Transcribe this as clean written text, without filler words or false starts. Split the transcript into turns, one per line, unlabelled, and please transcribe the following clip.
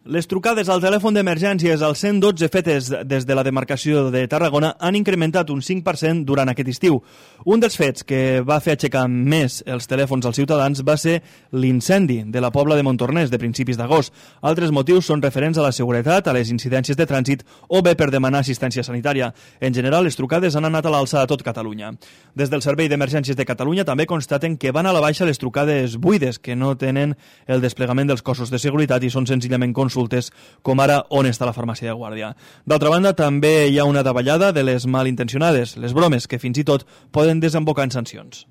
Les trucades al telèfon d'emergències al 112 fetes des de la demarcació de Tarragona han incrementat un 5% durant aquest estiu. Un dels fets que va fer aixecar més els telèfons als ciutadans va ser l'incendi de la Pobla de Montornès de principis d'agost. Altres motius són referents a la seguretat, a les incidències de trànsit o bé per demanar assistència sanitària. En general, les trucades han anat a l'alça a tot Catalunya. Des del Servei d'Emergències de Catalunya també constaten que van a la baixa les trucades buides, que no tenen el desplegament dels cossos de seguretat i són senzillament consultes, com ara on està la farmàcia de guàrdia. D'altra banda, també hi ha una davallada de les malintencionades, les bromes, que fins i tot poden desembocar en sancions.